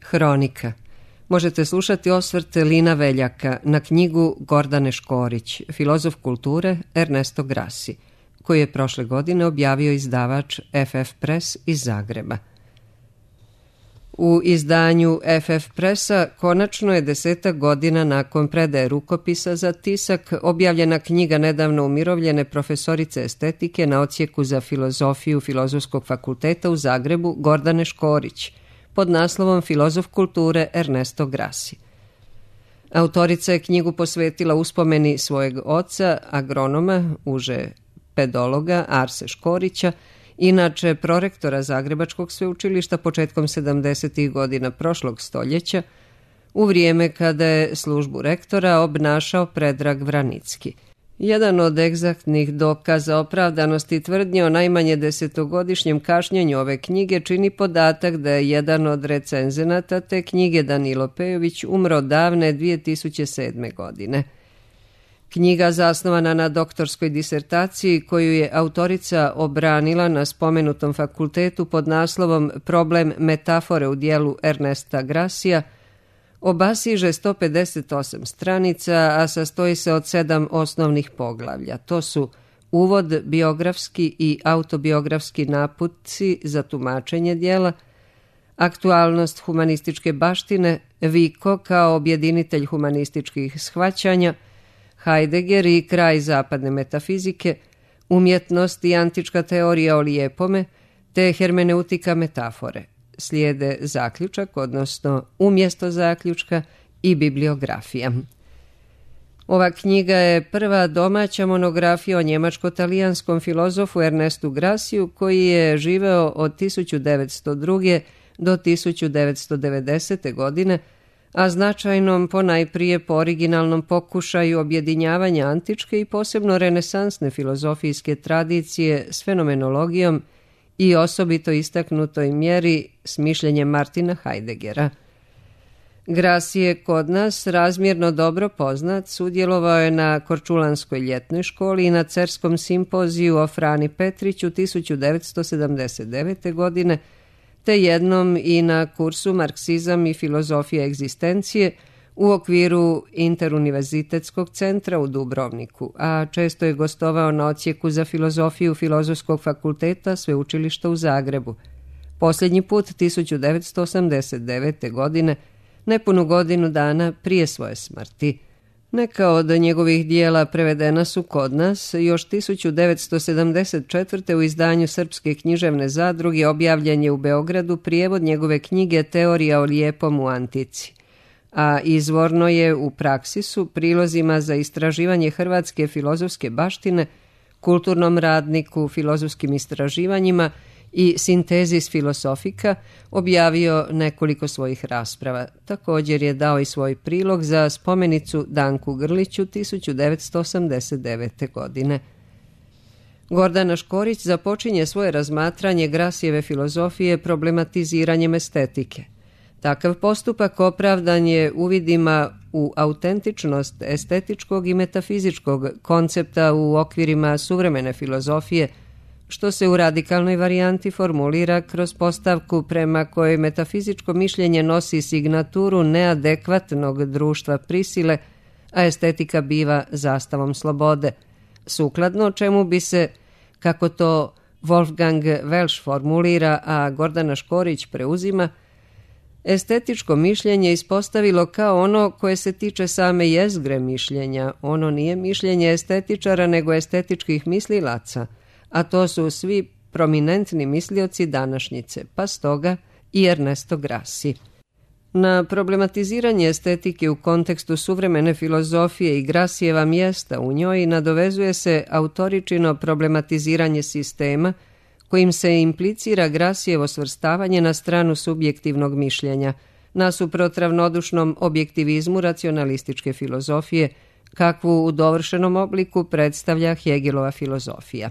Hronika. Možete slušati osvrt Lina Veljaka na knjigu Gordane Škorić, Filozof kulture Ernesto Grassi, koji je prošle godine objavio izdavač FF Press iz Zagreba. U izdanju FF Pressa konačno je 10 godina nakon predaje rukopisa za tisak objavljena knjiga nedavno umirovljene profesorice estetike na odsjeku za filozofiju Filozofskog fakulteta u Zagrebu Gordane Škorić pod naslovom Filozof kulture Ernesto Grassi. Autorica je knjigu posvetila uspomeni svojeg oca, agronoma, uže pedologa Arse Škorića, inače prorektora Zagrebačkog sveučilišta početkom 70. godina prošlog stoljeća, u vrijeme kada je službu rektora obnašao Predrag Vranicki. Jedan od egzaktnih dokaza opravdanosti tvrdnje o najmanje 10-godišnjem kašnjenju ove knjige čini podatak da je jedan od recenzenata te knjige, Danilo Pejović, umro davne 2007. godine. Knjiga zasnovana na doktorskoj disertaciji koju je autorica obranila na spomenutom fakultetu pod naslovom Problem metafore u dijelu Ernesta Grassija obasiže 158 stranica, a sastoji se od 7 osnovnih poglavlja. To su uvod, biografski i autobiografski naputci za tumačenje dijela, aktualnost humanističke baštine, Vico kao objedinitelj humanističkih shvaćanja, Heidegger i kraj zapadne metafizike, umjetnost i antička teorija o lijepome, te hermeneutika metafore. Slijede zaključak, odnosno umjesto zaključka, i bibliografija. Ova knjiga je prva domaća monografija o njemačko-talijanskom filozofu Ernestu Grassiju, koji je živeo od 1902. do 1990. godine, a značajnom ponajprije po originalnom pokušaju objedinjavanja antičke i posebno renesansne filozofijske tradicije s fenomenologijom i osobito istaknutoj mjeri s mišljenjem Martina Heideggera. Grassi je kod nas razmjerno dobro poznat, sudjelovao je na Korčulanskoj ljetnoj školi i na Cerskom simpoziju o Frani Petriću 1979. godine, te jednom i na kursu Marksizam i filozofija egzistencije u okviru Interuniverzitetskog centra u Dubrovniku, a često je gostovao na odsjeku za filozofiju Filozofskog fakulteta Sveučilišta u Zagrebu. Posljednji put 1989. godine, nepunu godinu dana prije svoje smrti. Neka od njegovih dijela prevedena su kod nas. Još 1974. u izdanju Srpske književne zadruge objavljen je u Beogradu prijevod njegove knjige Teorija o lijepom u antici, a izvorno je u Praksisu, prilozima za istraživanje hrvatske filozofske baštine, Kulturnom radniku, filozofskim istraživanjima i Sintezis filosofika objavio nekoliko svojih rasprava. Također je dao i svoj prilog za spomenicu Danku Grliću 1989. godine. Gordana Škorić započinje svoje razmatranje Grassijeve filozofije problematiziranjem estetike. Takav postupak opravdan je uvidima u autentičnost estetičkog i metafizičkog koncepta u okvirima suvremene filozofije, što se u radikalnoj varijanti formulira kroz postavku prema kojoj metafizičko mišljenje nosi signaturu neadekvatnog društva prisile, a estetika biva zastavom slobode, sukladno čemu bi se, kako to Wolfgang Welsch formulira, a Gordana Škorić preuzima, estetičko mišljenje ispostavilo kao ono koje se tiče same jezgre mišljenja. Ono nije mišljenje estetičara, nego estetičkih mislilaca, a to su svi prominentni mislioci današnjice, pa stoga i Ernesto Grassi. Na problematiziranje estetike u kontekstu suvremene filozofije i Grassijeva mjesta u njoj nadovezuje se autoričino problematiziranje sistema, kojim se implicira Grassijevo svrstavanje na stranu subjektivnog mišljenja, nasuprot ravnodušnom objektivizmu racionalističke filozofije, kakvu u dovršenom obliku predstavlja Hegelova filozofija.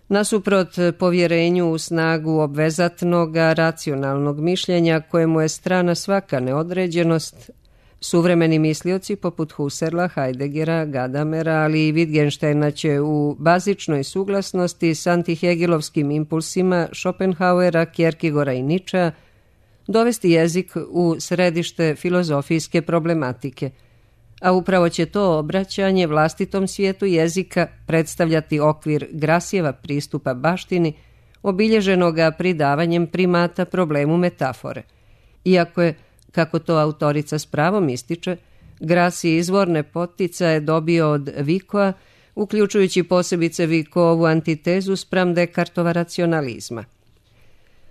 Nasuprot povjerenju u snagu obvezatnog racionalnog mišljenja, kojemu je strana svaka neodređenost, suvremeni mislioci poput Husserla, Heideggera, Gadamera, ali i Wittgensteina će u bazičnoj suglasnosti s antihegelovskim impulsima Schopenhauera, Kierkegaarda i Nietzschea dovesti jezik u središte filozofijske problematike, a upravo će to obraćanje vlastitom svijetu jezika predstavljati okvir Grassijeva pristupa baštini, obilježenoga pridavanjem primata problemu metafore. Iako je, kako to autorica s pravom ističe, Grassij izvorne poticaje dobio od Vicoa, uključujući posebice Vicovu antitezu spram Descartova racionalizma.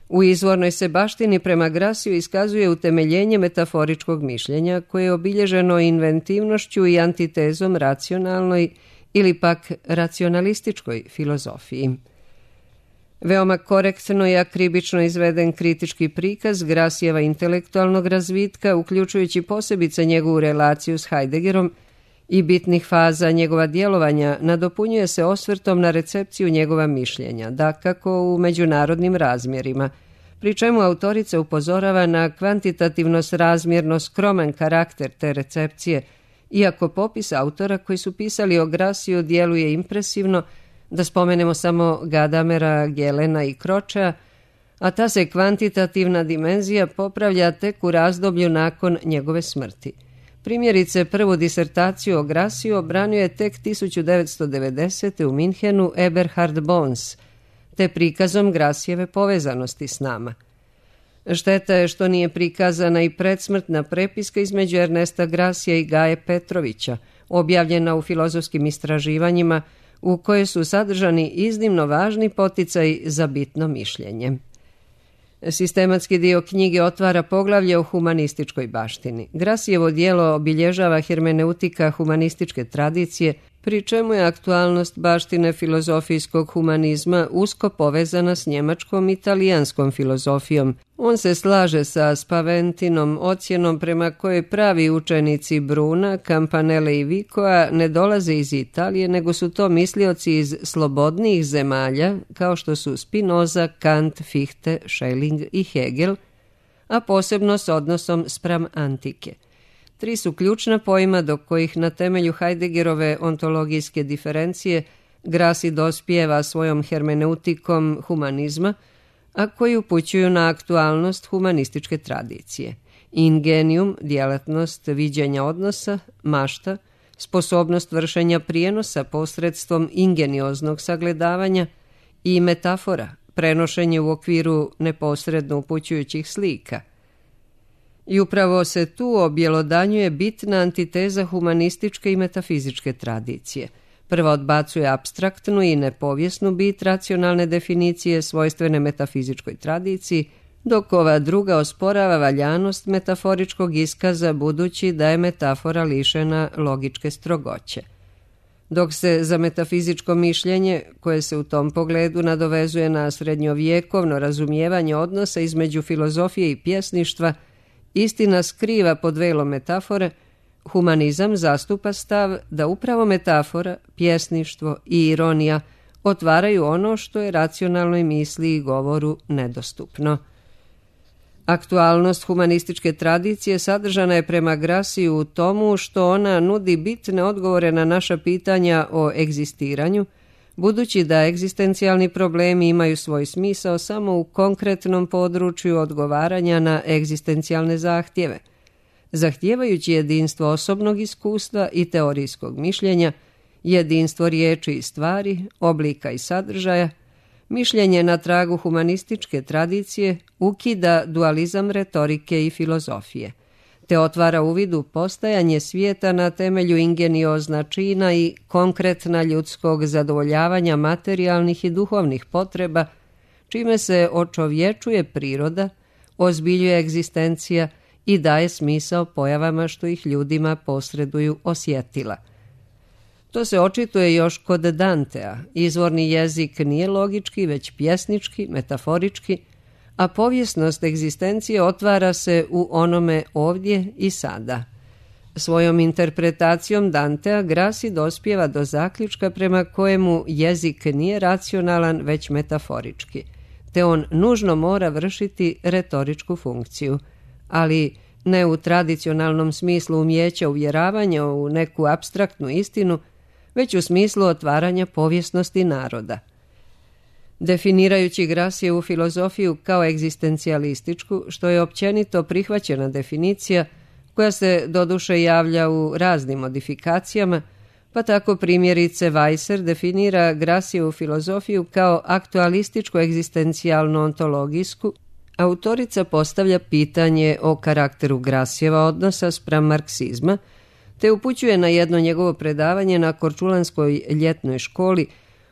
U izvornoj se baštini prema Grassiju iskazuje utemeljenje metaforičkog mišljenja koje je obilježeno inventivnošću i antitezom racionalnoj ili pak racionalističkoj filozofiji. Veoma korektno i akribično izveden kritički prikaz Grassijeva intelektualnog razvitka, uključujući posebice njegovu relaciju s Heideggerom i bitnih faza njegova djelovanja, nadopunjuje se osvrtom na recepciju njegova mišljenja, dakako u međunarodnim razmjerima, pri čemu autorica upozorava na kvantitativno srazmjerno skroman karakter te recepcije, iako popis autora koji su pisali o Grassiju djeluje impresivno, da spomenemo samo Gadamera, Gelena i Cročea, a ta se kvantitativna dimenzija popravlja tek u razdoblju nakon njegove smrti. Primjerice, prvu disertaciju o Grassiju obranio je tek 1990. u Minhenu Eberhard Bons, te prikazom Grassijeve povezanosti s nama. Šteta je što nije prikazana i predsmrtna prepiska između Ernesta Grassija i Gaje Petrovića, objavljena u filozofskim istraživanjima, u kojoj su sadržani iznimno važni poticaji za bitno mišljenje. Sistematski dio knjige otvara poglavlje o humanističkoj baštini. Grassijevo djelo obilježava hermeneutika humanističke tradicije, pri čemu je aktualnost baštine filozofijskog humanizma usko povezana s njemačkom i italijanskom filozofijom. On se slaže sa Spaventinom ocjenom prema kojoj pravi učenici Bruna, Campanelle i Vicoa ne dolaze iz Italije, nego su to mislioci iz slobodnijih zemalja, kao što su Spinoza, Kant, Fichte, Schelling i Hegel, a posebno s odnosom spram antike. Tri su ključna pojma do kojih na temelju Heideggerove ontologijske diferencije Grassij dospijeva svojom hermeneutikom humanizma, a koji upućuju na aktualnost humanističke tradicije. Ingenium, djelatnost viđenja odnosa, mašta, sposobnost vršenja prijenosa posredstvom ingenioznog sagledavanja i metafora, prenošenje u okviru neposredno upućujućih slika. I upravo se tu objelodanjuje bitna antiteza humanističke i metafizičke tradicije. Prva odbacuje apstraktnu i nepovijesnu bit racionalne definicije svojstvene metafizičkoj tradiciji, dok ova druga osporava valjanost metaforičkog iskaza budući da je metafora lišena logičke strogoće. Dok se za metafizičko mišljenje, koje se u tom pogledu nadovezuje na srednjovjekovno razumijevanje odnosa između filozofije i pjesništva, istina skriva pod velom metafore, humanizam zastupa stav da upravo metafora, pjesništvo i ironija otvaraju ono što je racionalnoj misli i govoru nedostupno. Aktualnost humanističke tradicije sadržana je prema Grassiju u tomu što ona nudi bitne odgovore na naša pitanja o egzistiranju, budući da egzistencijalni problemi imaju svoj smisao samo u konkretnom području odgovaranja na egzistencijalne zahtjeve. Zahtijevajući jedinstvo osobnog iskustva i teorijskog mišljenja, jedinstvo riječi i stvari, oblika i sadržaja, mišljenje na tragu humanističke tradicije ukida dualizam retorike i filozofije, te otvara uvid u postajanje svijeta na temelju ingeniozna čina i konkretna ljudskog zadovoljavanja materijalnih i duhovnih potreba, čime se očovječuje priroda, ozbiljuje egzistencija i daje smisao pojavama što ih ljudima posreduju osjetila. To se očituje još kod Dantea. Izvorni jezik nije logički, već pjesnički, metaforički, a povijesnost egzistencije otvara se u onome ovdje i sada. Svojom interpretacijom Dantea Grassij dospijeva do zaključka prema kojemu jezik nije racionalan, već metaforički, te on nužno mora vršiti retoričku funkciju, ali ne u tradicionalnom smislu umijeća uvjeravanja u neku apstraktnu istinu, već u smislu otvaranja povijesnosti naroda. Definirajući Gracijevu filozofiju kao egzistencijalističku, što je općenito prihvaćena definicija koja se doduše javlja u raznim modifikacijama, pa tako primjerice Weisser definira Gracijevu filozofiju kao aktualističko-egzistencijalno-ontologijsku, autorica postavlja pitanje o karakteru Gracijeva odnosa spram marksizma, te upućuje na jedno njegovo predavanje na Korčulanskoj ljetnoj školi,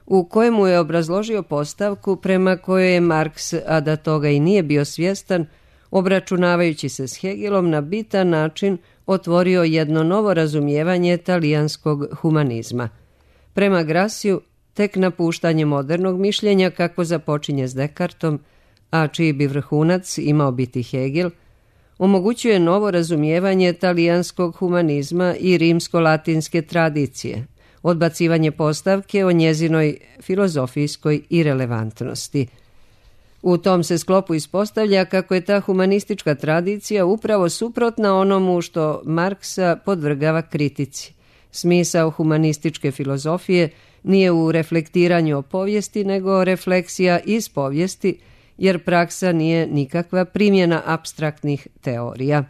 u kojemu je obrazložio postavku prema kojoj je Marks, a da toga i nije bio svjestan, obračunavajući se s Hegelom na bitan način otvorio jedno novo razumijevanje talijanskog humanizma. Prema Graciju, tek napuštanje modernog mišljenja kako započinje s Descartom, a čiji bi vrhunac imao biti Hegel, omogućuje novo razumijevanje talijanskog humanizma i rimsko-latinske tradicije, odbacivanje postavke o njezinoj filozofijskoj irelevantnosti. U tom se sklopu ispostavlja kako je ta humanistička tradicija upravo suprotna onomu što Marksa podvrgava kritici. Smisao humanističke filozofije nije u reflektiranju o povijesti, nego refleksija iz povijesti, jer praksa nije nikakva primjena apstraktnih teorija.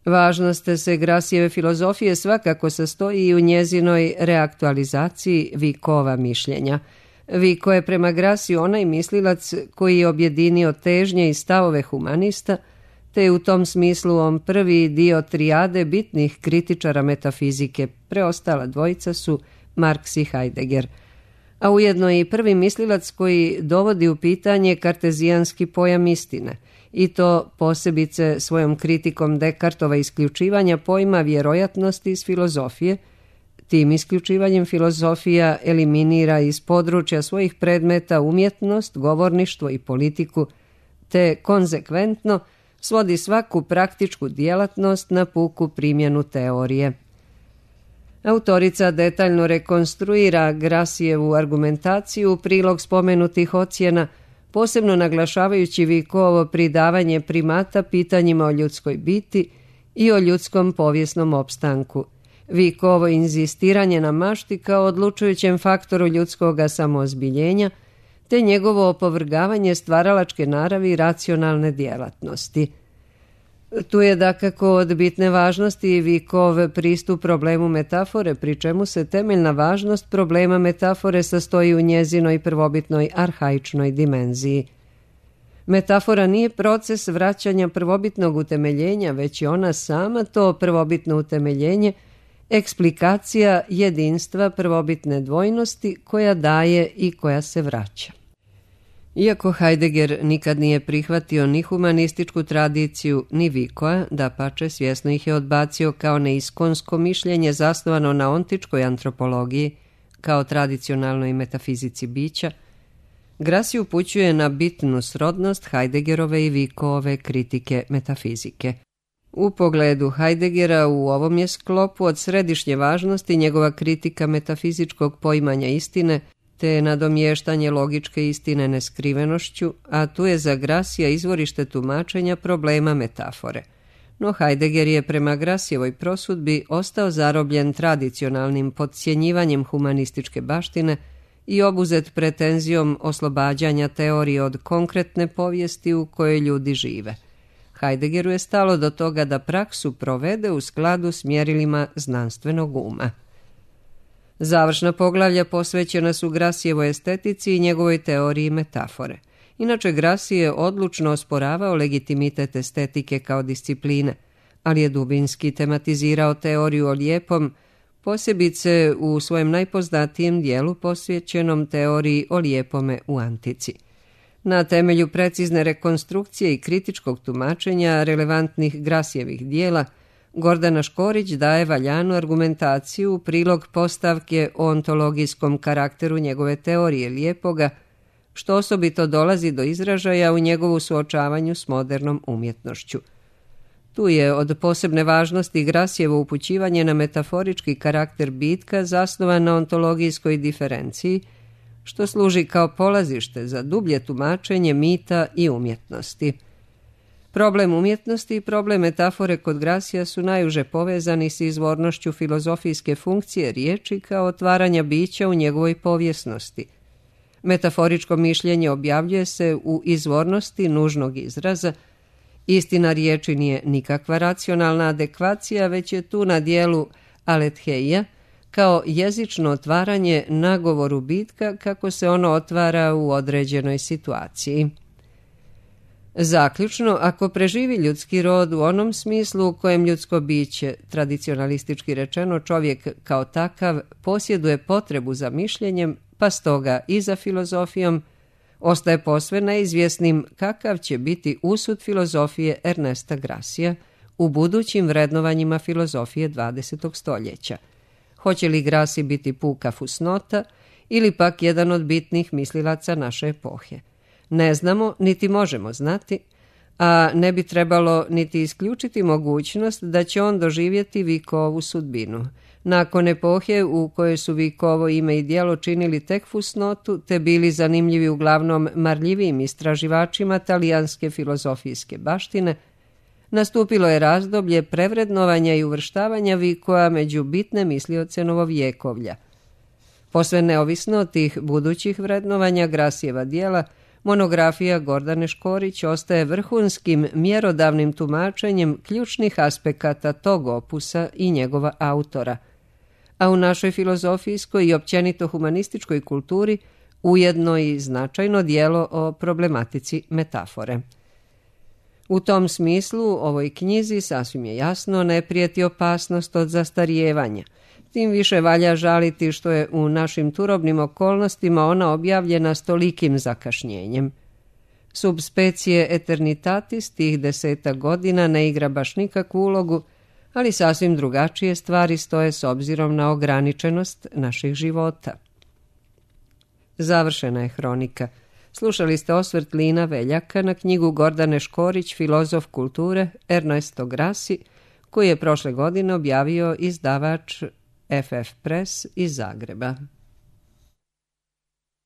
Važnost se Gracijeve filozofije svakako sastoji i u njezinoj reaktualizaciji Vicova mišljenja. Vico je prema Graciju onaj mislilac koji je objedinio težnje i stavove humanista, te je u tom smislu on prvi dio trijade bitnih kritičara metafizike, preostala dvojica su Marks i Heidegger, a ujedno i prvi mislilac koji dovodi u pitanje kartezijanski pojam istine, i to posebice svojom kritikom Descartova isključivanja pojma vjerojatnosti iz filozofije. Tim isključivanjem filozofija eliminira iz područja svojih predmeta umjetnost, govorništvo i politiku, te konzekventno svodi svaku praktičku djelatnost na puku primjenu teorije. Autorica detaljno rekonstruira Gracijevu argumentaciju u prilog spomenutih ocjena, posebno naglašavajući Vicovo pridavanje primata pitanjima o ljudskoj biti i o ljudskom povijesnom opstanku. Vicovo inzistiranje na mašti kao odlučujućem faktoru ljudskoga samoozbiljenja, te njegovo opovrgavanje stvaralačke naravi i racionalne djelatnosti. Tu je dakako od bitne važnosti Vicov pristup problemu metafore, pri čemu se temeljna važnost problema metafore sastoji u njezinoj prvobitnoj arhaičnoj dimenziji. Metafora nije proces vraćanja prvobitnog utemeljenja, već je ona sama to prvobitno utemeljenje, eksplikacija jedinstva prvobitne dvojnosti koja daje i koja se vraća. Iako Heidegger nikad nije prihvatio ni humanističku tradiciju, ni Vicoa, dapače svjesno ih je odbacio kao neiskonsko mišljenje zasnovano na ontičkoj antropologiji, kao tradicionalnoj metafizici bića, Gracie upućuje na bitnu srodnost Heideggerove i Vicoove kritike metafizike. U pogledu Heideggera u ovom je sklopu od središnje važnosti njegova kritika metafizičkog poimanja istine, te nadomještanje logičke istine neskrivenošću, a tu je za Gracija izvorište tumačenja problema metafore. No Heidegger je prema Gracijevoj prosudbi ostao zarobljen tradicionalnim podcjenjivanjem humanističke baštine i obuzet pretenzijom oslobađanja teorije od konkretne povijesti u kojoj ljudi žive. Heideggeru je stalo do toga da praksu provede u skladu s mjerilima znanstvenog uma. Završna poglavlja posvećena su Gracijevoj estetici i njegovoj teoriji metafore. Inače, Gracie je odlučno osporavao legitimitet estetike kao discipline, ali je dubinski tematizirao teoriju o lijepom, posebice u svojem najpoznatijem dijelu posvećenom teoriji o lijepome u antici. Na temelju precizne rekonstrukcije i kritičkog tumačenja relevantnih Gracijevih dijela, Gordana Škorić daje valjanu argumentaciju u prilog postavke o ontologijskom karakteru njegove teorije lijepoga, što osobito dolazi do izražaja u njegovu suočavanju s modernom umjetnošću. Tu je od posebne važnosti Gracijevo upućivanje na metaforički karakter bitka zasnovan na ontologijskoj diferenciji, što služi kao polazište za dublje tumačenje mita i umjetnosti. Problem umjetnosti i problem metafore kod Gracija su najuže povezani s izvornošću filozofijske funkcije riječi kao otvaranja bića u njegovoj povijesnosti. Metaforičko mišljenje objavljuje se u izvornosti nužnog izraza. Istina riječi nije nikakva racionalna adekvacija, već je tu na dijelu aletheia, kao jezično otvaranje nagovoru bitka kako se ono otvara u određenoj situaciji. Zaključno, ako preživi ljudski rod u onom smislu u kojem ljudsko biće, tradicionalistički rečeno čovjek kao takav, posjeduje potrebu za mišljenjem, pa stoga i za filozofijom, ostaje posve neizvjesnim kakav će biti usud filozofije Ernesta Grassija u budućim vrednovanjima filozofije 20. stoljeća. Hoće li Grassi biti puka fusnota ili pak jedan od bitnih mislilaca naše epohe? Ne znamo, niti možemo znati, a ne bi trebalo niti isključiti mogućnost da će on doživjeti Vicovu sudbinu. Nakon epohe u kojoj su Vicovo ime i djelo činili tek fusnotu, te bili zanimljivi uglavnom marljivim istraživačima talijanske filozofijske baštine, nastupilo je razdoblje prevrednovanja i uvrštavanja Vicova među bitne mislioce novovjekovlja. Posve neovisno od tih budućih vrednovanja Grassijeva djela, monografija Gordane Škorić ostaje vrhunskim mjerodavnim tumačenjem ključnih aspekata tog opusa i njegova autora, a u našoj filozofijskoj i općenito humanističkoj kulturi ujedno i značajno djelo o problematici metafore. U tom smislu ovoj knjizi sasvim je jasno ne prijeti opasnost od zastarijevanja. Tim više valja žaliti što je u našim turobnim okolnostima ona objavljena s tolikim zakašnjenjem. Subspecie eternitatis tih 10 godina ne igra baš nikakvu ulogu, ali sasvim drugačije stvari stoje s obzirom na ograničenost naših života. Završena je hronika. Slušali ste osvrt Lina Veljaka na knjigu Gordane Škorić, Filozof kulture, Ernesto Grassi, koji je prošle godine objavio izdavač FF Press iz Zagreba.